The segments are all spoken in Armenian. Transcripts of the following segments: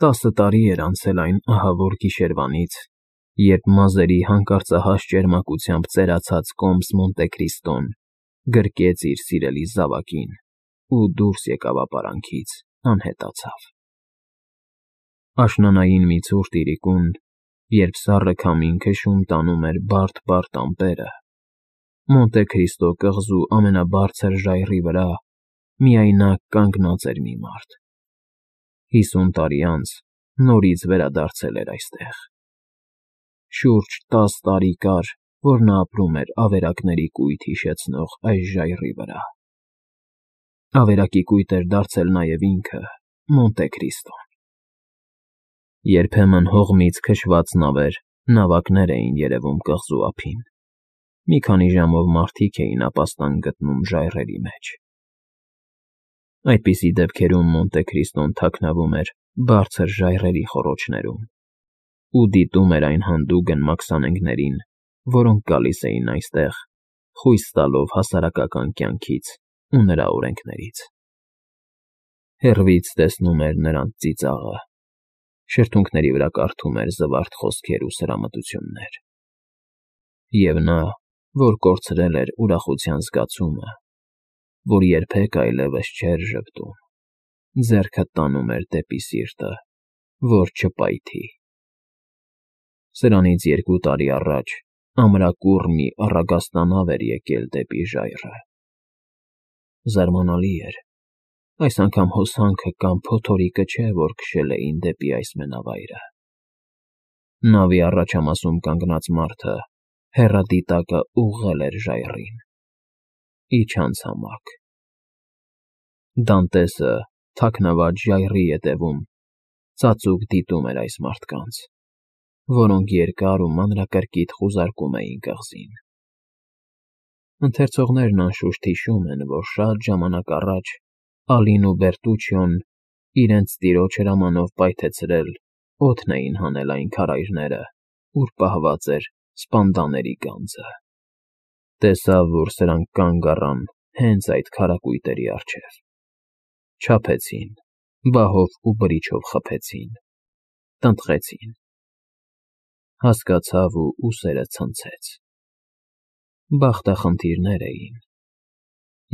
10 տարի էր անցել այն ահավոր գիշերվանից, երբ մազերի հանկարծահաս ճերմակությամբ ծերացած կոմս Մոնտեկրիստոն գրկեց իր սիրելի զավակին ու դուրս եկավ ապարանքից, անհետացավ։ Աշնանային մի ցուրտ իրիկուն, երբ սառը քամին քշում տանում էր բարդ ամպերը, Մոնտեկրիստո կղզու ամենաբարձր ժայռի վրա միայնակ կանգնած էր մի մարդ։ 50 տարի անց նորից վերադարձել էր այստեղ։ Շուրջ 10 տարի կար, որ նա ապրում էր ավերակների կույտ հիշեցնող այս ժայռի վրա։ Ավերակի կույտ էր դարձել նաև ինքը՝ Մոնտեկրիստոն։ Երբեմն հողմից քշված նավակներ էին երևում կղզու ափին։ Մի քանի ժամով մարդիկ էին ապաստան գտնում ժայռերի մեջ։ Այդպիսի դեպքերում Մոնտեկրիստոն թաքնվում էր բարձր ժայռերի խոռոչներում ու դիտում էր այն հանդուգն մաքսանենգներին, որոնք գալիս էին այստեղ, խույս տալով հասարակական կյանքից ու նրա օրենքներից։ Հեռվից տեսնում էր նրանց ծիծաղը, շրթունքների վրա կարդում էր զվարթ խոսքեր ու սրամտություններ։ Եվ նա, որ կորցրել էր ուրախության զգացումը, որ երբեք այլևս չէր ժպտում, ձեռքը տանում էր դեպի սիրտը, որ չպայթի։ Սրանից 2 տարի առաջ ամրակուռ մի առագաստանավ էր եկել դեպի ժայռը։ Զարմանալի էր, այս անգամ հոսանքը կամ փոթորիկը չէ, որ քշել էին դեպի այս մենավայրը։ Նավի առաջամասում կանգնած մարդը հեռադիտակը ուղղել էր ժայռին։ Իջանցամաք։ Դանտեսը, թաքնված ժայռի ետևում, ծածուկ դիտում էր այս մարդկանց, որոնք երկար ու մանրակրկիտ խուզարկում էին կղզին։ Ընթերցողներն անշուշտ հիշում են, որ շատ ժամանակ առաջ Ալին ու Բերտուչիոն իրենց տիրոջ հրամանով պայթեցրել օդն էին հանել այն քարայրները, ուր պահված էր սպանդաների գանձը։ Տեսավ, որ սրանք կանգ առան հենց այդ քարակույտերի առջև։ Չափեցին, բահով ու բրիչով խփեցին, տնտղեցին։ Հասկացավ ու ուսերը ցնցեց։ Բախտախնդիրներ էին։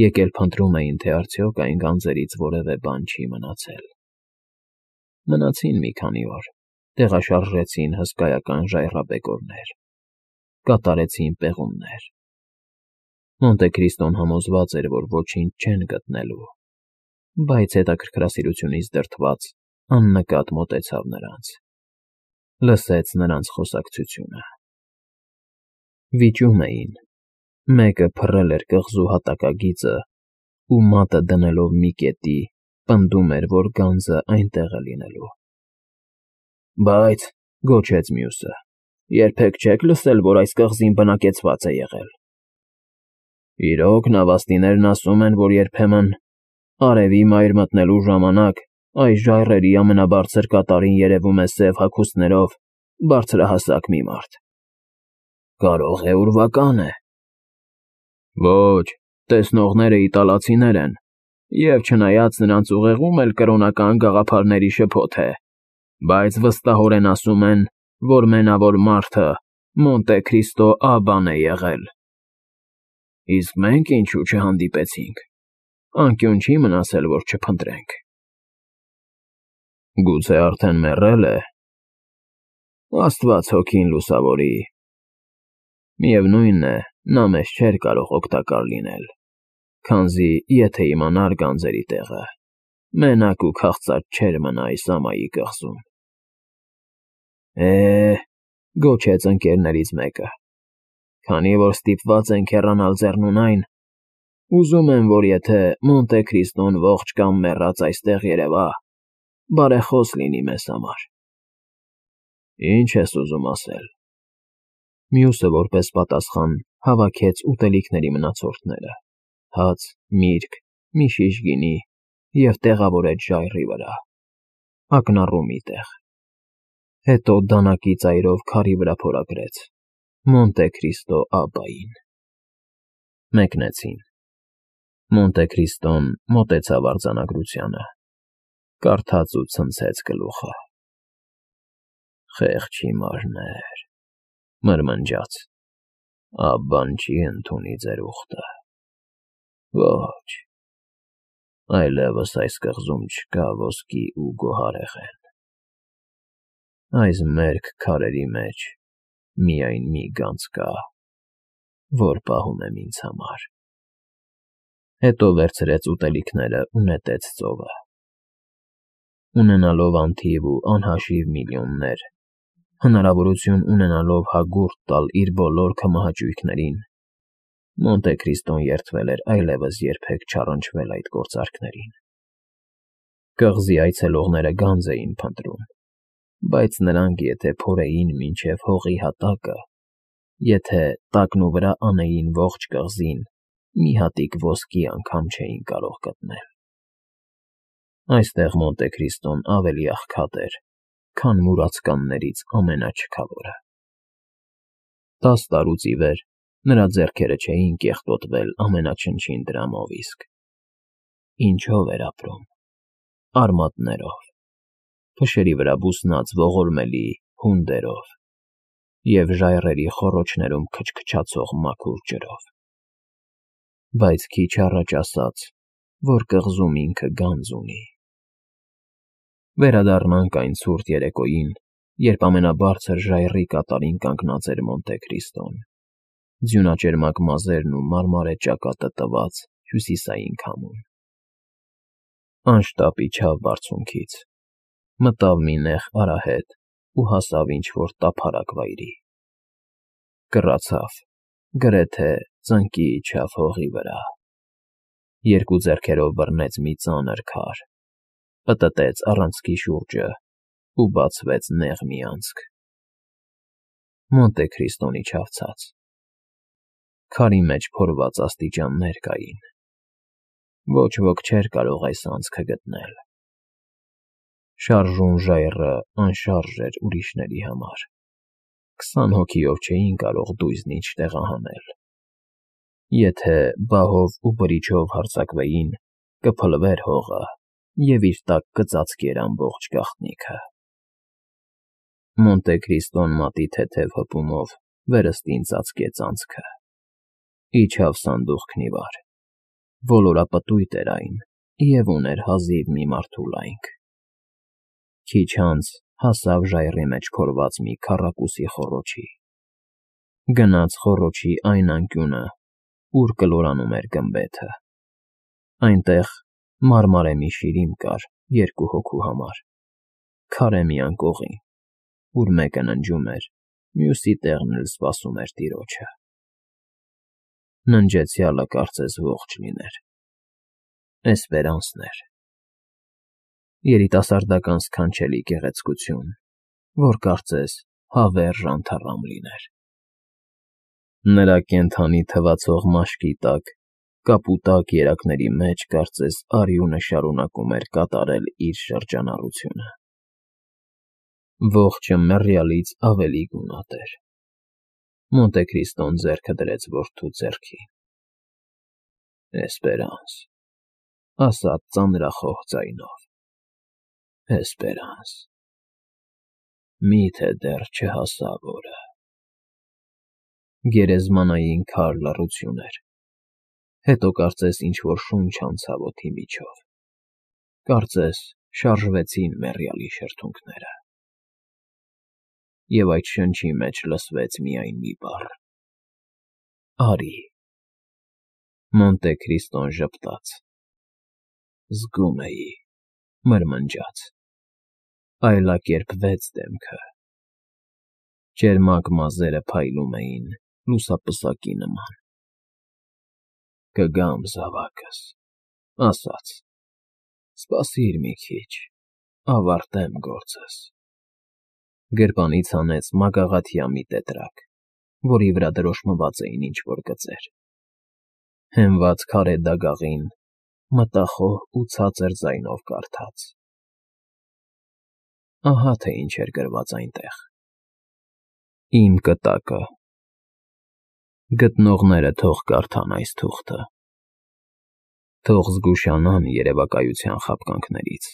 Եկել փնտրում էին, թե արդյոք այն գանձերից որևէ բան չի մնացել։ Մնացին մի քանի օր, տեղաշարժեցին հսկայական ժայռաբեկորներ, կատարեցին պեղումներ։ Մոնտեկրիստոն համոզված էր, որ ոչինչ չեն գտնելու, բայց հետաքրքրասիրությունից դրդված աննկատ մոտեցավ նրանց, լսեց նրանց խոսակցությունը։ Վիճում էին, մեկը փռել էր կղզու հատակագիծը ու մատը դնելով մի կետի, պնդում էր, որ գանձը այնտեղ է լինելու։ Բայց, գոչեց մյուսը, երբեք չեք լսել, որ այս կղզին բնակեցված է եղել։ Իրոք, նավաստիներն ասում են, որ երբեմն արևի մայր մտնելու ժամանակ այս ժայռերի ամենաբարձր կատարին երևում է սև հագուստներով բարձրահասակ մի մարդ։ Կարող է ուրվական է։ Ոչ, տեսնողները իտալացիներ են, և չնայած նրանց ուղեղում էլ կրոնական գաղափարների շփոթ է, բայց վստահորեն ասում են, որ մենավոր մարդը Մոնտեկրիստո Աբբան է եղել։ Իսկ մենք ինչու չհանդիպեցինք։ Անկյուն չի մնացել, որ չփնտրենք։ Գուցե արդեն մեռել է։ Աստված հոգին լուսավորի։ Միևնույն է, նա մեզ չէր կարող օգտակար լինել, քանզի եթե իմանար գանձերի տեղը, մենակ ու քաղցած չէր մնա այս ամայի կղզում։ Գոչեց ընկերներից մեկը, քանի որ ստիպված ենք հեռանալ ձեռնունայն, ուզում եմ, որ եթե Մոնտեկրիստոն ողջ կամ մեռած այստեղ երևա, բարեխոս լինի մեզ համար։ Ինչ ես ուզում ասել։ Մյուսը որպես պատասխան հավաքեց ուտելիքների մնացորդները, հաց, միրգ, մի շիշ գինի և տեղավորեց ժայռի վրա, ակնառու մի տեղ։ Հետո դանակի ծայրով քարի վրա փորագրեց. Մոնտեկրիստո Աբբային։ Մեկնեցին։ Մոնտեկրիստոն մոտեցավ արձանագրությանը, կարդաց ու ցնցեց գլուխը։ Խեղճ հիմարներ, մրմնջաց, աբան չի ընդունի ձեր ուխտը, ոչ, այլևս այս կղզում չկա ոսկի ու գոհարեղեն, այս մերկ քարերի մեջ միայն մի գանձ կա, որ պահում եմ ինձ համար, հետո վերցրեց ուտելիքները ու նետեց ծովը, ունենալով անթիվ ու անհաշիվ միլիոններ, հնարավորություն ունենալով հագուրդ տալ իր բոլոր քմահաճույքներին, Մոնտե Քրիստոն երդվել էր այլևս երբեք չառնչվել այդ գործարքներին։ Կղզի այցելողները գանձ էին փնտրում, բայց նրանք եթե փորեին մինչև հողի հատակը, եթե տակն ու վրա անեին ողջ կղզին, մի հատիկ ոսկի անգամ չէին կարող գտնել։ Այստեղ Մոնտե Քրիստոն ավելի աղքատ էր, քան մուրացկաններից ամենաչքավորը։ 10 տարուց ի վեր նրա ձեռքերը չէին կեղտոտվել ամենաչնչին դրամով իսկ։ Ինչով էր ապրում։ Արմատներով, փշերի վրա բուսնած ողորմելի հունդերով և ժայռերի խոռոչներում քչքչացող մաքուր ջրով։ Բայց քիչ առաջ ասաց, որ կղզում ինքը գանձ ունի։ Վերադառնանք այն ցուրտ երեկոյին, երբ ամենաբարձր ժայռի կատարին կանգնած էր Մոնտե Քրիստոն, ձյունաճերմակ մազերն ու մարմարե ճակատը տված հյուսիսային քամուն։ Անշտապ իջավ բարձունքից, մտավ մի նեղ արահետ ու հասավ ինչ-որ տափարակ վայրի։ Կռացավ, գրեթե ծնկի իջավ հողի վրա։ Երկու ձեռքերով բռնեց մի ծանր քար, պտտեց առանցքի շուրջը ու բացվեց նեղ մի անցք։ Մոնտե Քրիստոն իջավ ցած։ Քարի մեջ փորված աստիճաններ կային։ Ոչ ոք չէր կարող այս անցքը գտնել։ Շարժուն ժայռը անշարժ էր ուրիշների համար։ 20 հոգիով չէին կարող դույզն ինչ տեղահանել։ Եթե բահով ու բրիչով հարձակվեին, կփլվեր հողը և իր տակ կծածկեր ամբողջ գաղտնիքը։ Մոնտե Քրիստոն մատի թեթև հպումով վերստին ծածկեց անցքը։ Իջավ սանդուղքն ի վար։ Ոլորապտույտ էր այն և ուներ հազիվ մի մարդու լայնք։ Քիչ անց հասավ ժայռի մեջ փորված մի քառակուսի խոռոչի։ Գնաց խոռոչի այն անկյունը, ուր կլորանում էր գմբեթը։ Այնտեղ մարմարե մի շիրիմ կար 2 հոգու համար, քարե մի անկողին, ուր մեկը ննջում էր, մյուսի տեղն էլ սպասում էր տիրոջը։ Ննջեցյալը կարծես ողջ լիներ։ Էսպերանսն էր։ Երիտասարդական սքանչելի գեղեցկություն, որ կարծես հավերժ անթառամ լիներ։ Նրա կենդանի թվացող մաշկի տակ, կապուտակ երակների մեջ կարծես արյունը շարունակում էր կատարել իր շրջանառությունը։ Ողջը մեռյալից ավելի գունատ էր։ Մոնտե Քրիստոն ձեռքը դրեց որդու ձեռքին։ Էսպերանս, ասաց ծանրախոհ ձայնով, Էսպերանս, միթե դեռ չհասավ օրը։ Գերեզմանային քար լռություն էր։ Հետո կարծես ինչ-որ շունչ անցավ օդի միջով։ Կարծես շարժվեցին մեռյալի շրթունքները։ Եվ այդ շնչի մեջ լսվեց միայն մի բառ. «Արի»։ Մոնտե Քրիստոն ժպտաց։ Զգում էի, մրմնջաց։ Այլակերպվեց դեմքը։ Ճերմակ մազերը փայլում էին լուսապսակի նման։ Կգամ զավակս, ասաց, սպասիր մի քիչ, ավարտեմ գործս։ Գրպանից հանեց մագաղաթյա մի տետրակ, որի վրա դրոշմված էին ինչ-որ գծեր։ Հենված քարե դագաղին մտախոհ ու ցածր ձայնով կարդաց. Ահա թե ինչ էր գրված այնտեղ. Իմ կտակը։ Գտնողները թող կարդան այս թուղթը։ Թող զգուշանան երևակայության խաբկանքներից։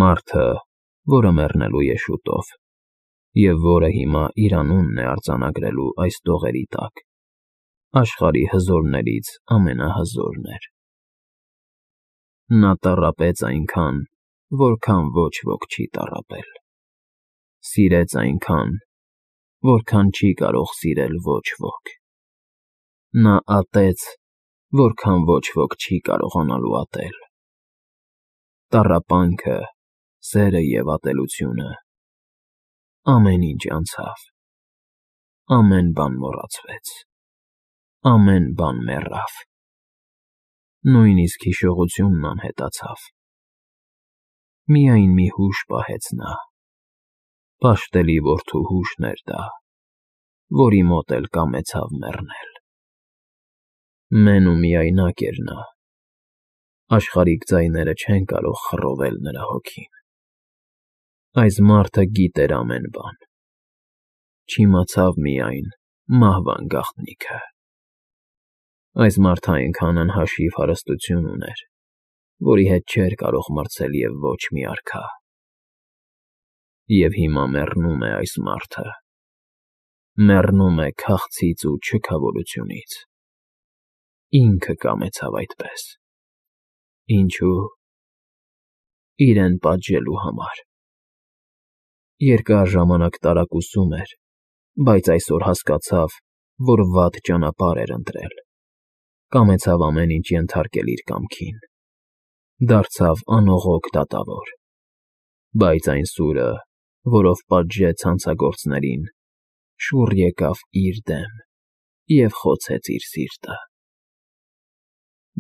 Մարդը, որը մեռնելու է շուտով, և որը հիմա իր անունն է արձանագրելու այս տողերի տակ, աշխարհի հզորներից ամենահզորն էր։ Նա տառապեց այնքան, որքան ոչ ոք չի տառապել, սիրեց այնքան, որքան չի կարող սիրել ոչ ոք, նա ատեց, որքան ոչ ոք չի կարողանալու ատել։ Տառապանքը, սերը և ատելությունը, ամեն ինչ անցավ, ամեն բան մոռացվեց, ամեն բան մեռավ, նույնիսկ հիշողությունն անհետացավ։ Միայն մի հուշ պահեց նա, պաշտելի որդու հուշն էր դա, որի մոտ էլ կամեցավ մեռնել։ Մեն ու միայնակ էր նա, աշխարհիկ ձայները չեն կարող խռովել նրա հոգին։ Այս մարդը գիտեր ամեն բան, չիմացավ միայն մահվան գաղտնիքը։ Այս մարդը այնքան անհաշիվ հարստություն ուներ, որի հետ չէր կարող մրցել և ոչ մի արքա։ Եվ հիմա մեռնում է այս մարդը, մեռնում է քաղցից ու չքավորությունից։ Ինքը կամեցավ այդպես։ Ինչու՞։ Իրեն պատժելու համար։ Երկար ժամանակ տարակուսում էր, բայց այսօր հասկացավ, որ վատ ճանապարհ էր ընտրել։ Կամեցավ ամեն ինչ ենթարկել իր կամքին։ Դարձավ անողոք դատավոր։ Բայց այն սուրը, որով պատժեց հանցագործներին, շուռ եկավ իր դեմ և խոցեց իր սիրտը։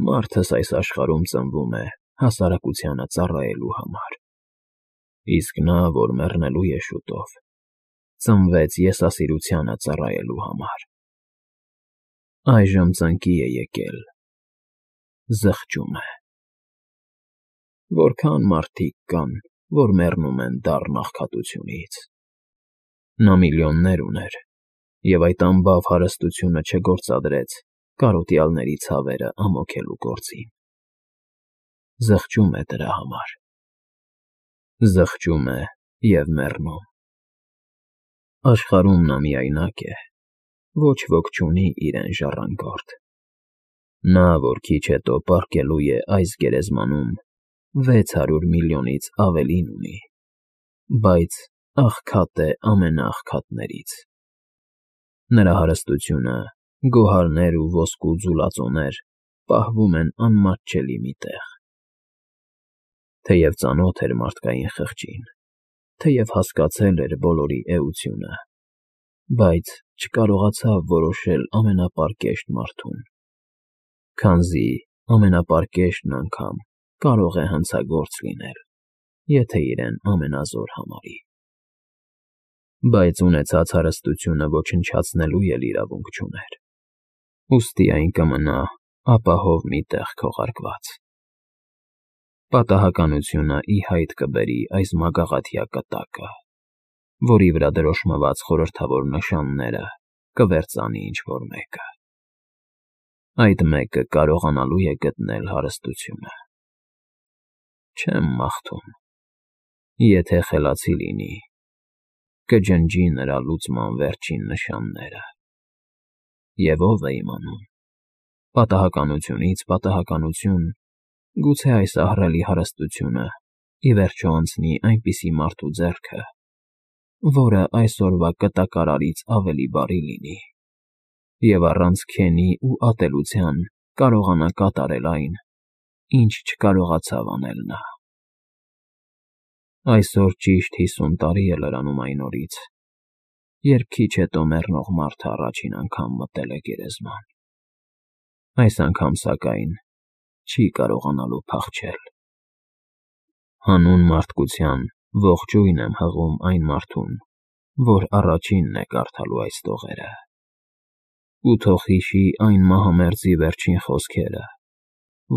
Մարդս այս աշխարհում ծնվում է հասարակությանը ծառայելու համար, իսկ նա, որ մեռնելու է շուտով, ծնվեց եսասիրությանը ծառայելու համար։ Այժմ ծնկի է եկել, զղջում է։ Որքան մարդիկ կան, որ մեռնում են դառն աղքատությունից։ Նա միլիոններ ուներ, և այդ անբավ հարստությունը չգործադրեց կարոտյալների ցավերը ամոքելու գործին։ Զղջում է դրա համար։ Զղջում է և մեռնում։ Աշխարհում նա միայնակ է, ոչ ոք չունի իրեն ժառանգորդ։ Նա, որ քիչ հետո պառկելու է այս գերեզմանում, 600 միլիոնից ավելին ունի, բայց աղքատ է ամենաաղքատներից։ Նրա հարստությունը, գոհարներ ու ոսկու ձուլածոներ պահվում են անմատչելի մի տեղ։ Թեև ծանոթ էր մարդկային խղճին, թեև հասկացել էր բոլորի էությունը, բայց չկարողացավ որոշել ամենապարկեշտ մարդուն, քանզի ամենապարկեշտն անգամ կարող է հանցագործ լինել, եթե իրեն ամենազոր համարի։ Բայց ունեցած հարստությունը ոչնչացնելու էլ իրավունք չուներ, ուստի այն կմնա ապահով մի տեղ քողարկված։ Պատահականությունը ի հայտ կբերի այս մագաղաթյա կտակը, որի վրա դրոշմված խորհրդավոր նշանները կվերծանի ինչ-որ մեկը։ Այդ մեկը կարողանալու է գտնել հարստությունը։ Չեմ մաղթում։ Եթե խելացի լինի, կջնջի նրա լուծման վերջին նշանները։ Եվ ով է իմանում, պատահականությունից պատահականություն, գուցե այս ահռելի հարստությունը ի վերջո անցնի այնպիսի մարդու ձեռքը, որը այսօրվա կտակարարից ավելի բարի լինի, և առանց քենի ու ատելության կարողանա կատարել այն, ինչ չկարողացավ անել նա։ Այսօր ճիշտ 50 տարի է լրանում այն օրից, երբ քիչ հետո մեռնող մարդը առաջին անգամ մտել է գերեզման։ Այս անգամ, սակայն, չի կարողանալու փախչել։ Հանուն մարդկության ողջույն եմ հղում այն մարդուն, որ առաջինն է կարդալու այս տողերը։ Ու թող հիշի այն մահամերձի վերջին խոսքերը,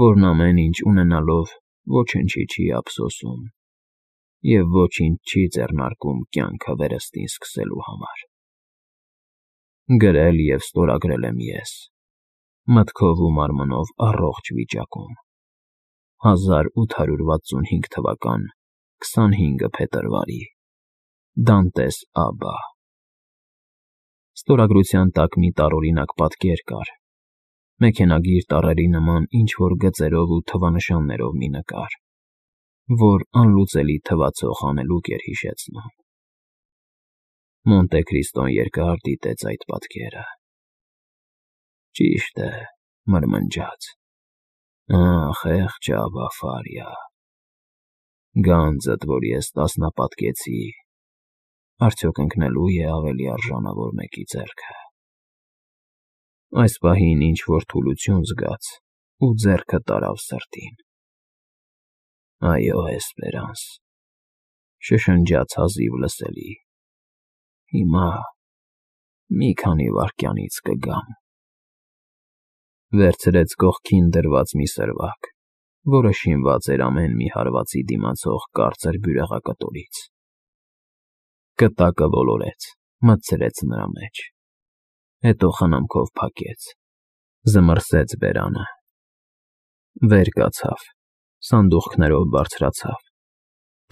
որն ամեն ինչ ունենալով ոչնչի չի ափսոսում և ոչինչ չի ձեռնարկում կյանքը վերստին սկսելու համար։ Գրել և ստորագրել եմ ես, մտքով ու մարմնով առողջ վիճակում, 1865 թվական 25 փետրվարի Դանտես Աբա։ Ստորագրության տակ մի տարօրինակ պատկեր կար, մեքենագիր տառերի նման ինչ-որ գծերով ու թվանշաններով մի նկար, որ անլուծելի թվացող հանելուկ էր հիշեցնում։ Մոնտե Քրիստոն երկար դիտեց այդ պատկերը։ Ճիշտ է, մրմնջաց. խեղճ Աբա Ֆարիա, գանձդ, որ ես տասնապատկեցի, արդյոք ընկնելու է ավելի արժանավոր մեկի ձեռքը։ Այս պահին ինչ-որ թուլություն զգաց ու ձեռքը տարավ սրտին։ Այո, Էսպերանս, շշնջաց հազիվ լսելի, հիմա մի քանի վայրկյանից կգամ։ Վերցրեց կողքին դրված մի սրվակ, որը շինված էր ամեն մի հարվածի դիմացող կարծր բյուրեղակտորից։ Կտակը ոլորեց, մտցրեց նրա մեջ, հետո խնամքով փակեց, զմռսեց բերանը, վեր կացավ, սանդուղքներով բարձրացավ,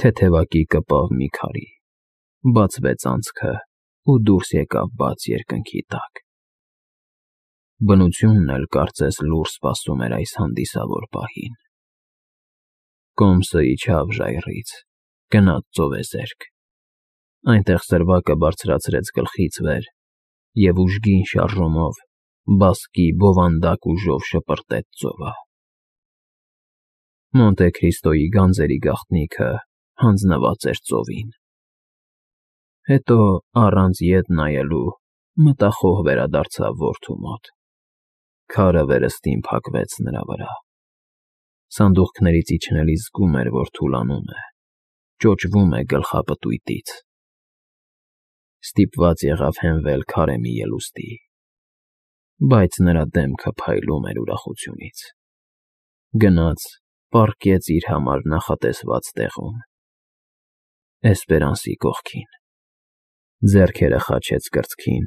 թեթևակի կպավ մի քարի, բացվեց անցքը ու դուրս եկավ բաց երկնքի տակ։ Բնությունն էլ կարծես լուռ սպասում էր այս հանդիսավոր պահին։ Կոմսը իջավ ժայռից, գնաց ծովեզերք, այնտեղ սրվակը բարձրացրեց գլխից վեր և ուժգին շարժումով բասկի բովանդակ ուժով շպրտեց ծովը։ Մոնտե Քրիստոյի գանձերի գաղտնիքը հանձնված էր ծովին։ Հետո, առանց ետ նայելու, մտախոհ վերադարձավ որդու մոտ։ Քարը վերստին փակվեց նրա վրա։ Սանդուղքներից իջնելիս զգում էր, որ թուլանում է, ճոճվում է գլխապտույտից։ Ստիպված եղավ հենվել քարե մի ելուստի, բայց նրա դեմքը փայլում էր ուրախությունից։ Գնաց, պառկեց իր համար նախատեսված տեղում, Էսպերանսի կողքին, ձեռքերը խաչեց կրծքին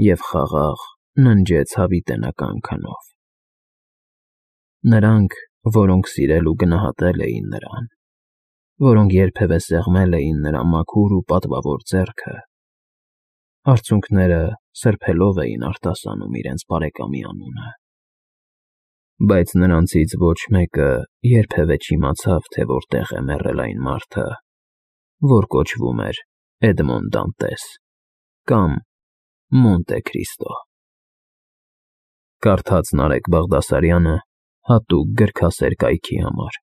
և խաղաղ ննջեց հավիտենական քնով։ Նրանք, որոնք սիրել ու գնահատել էին նրան, որոնք երբևէ սեղմել էին նրա մաքուր ու պատվավոր ձեռքը, արցունքները սրբելով էին արտասանում իրենց բարեկամի անունը։ Բայց նրանցից ոչ մեկը երբևէ չիմացավ, թե որտեղ է մեռել այն մարդը, որ կոչվում էր Էդմոն Դանտես կամ Մոնտե Քրիստո։ Կարդաց Նարեկ Բաղդասարյանը հատուկ գրքասեր կայքի համար։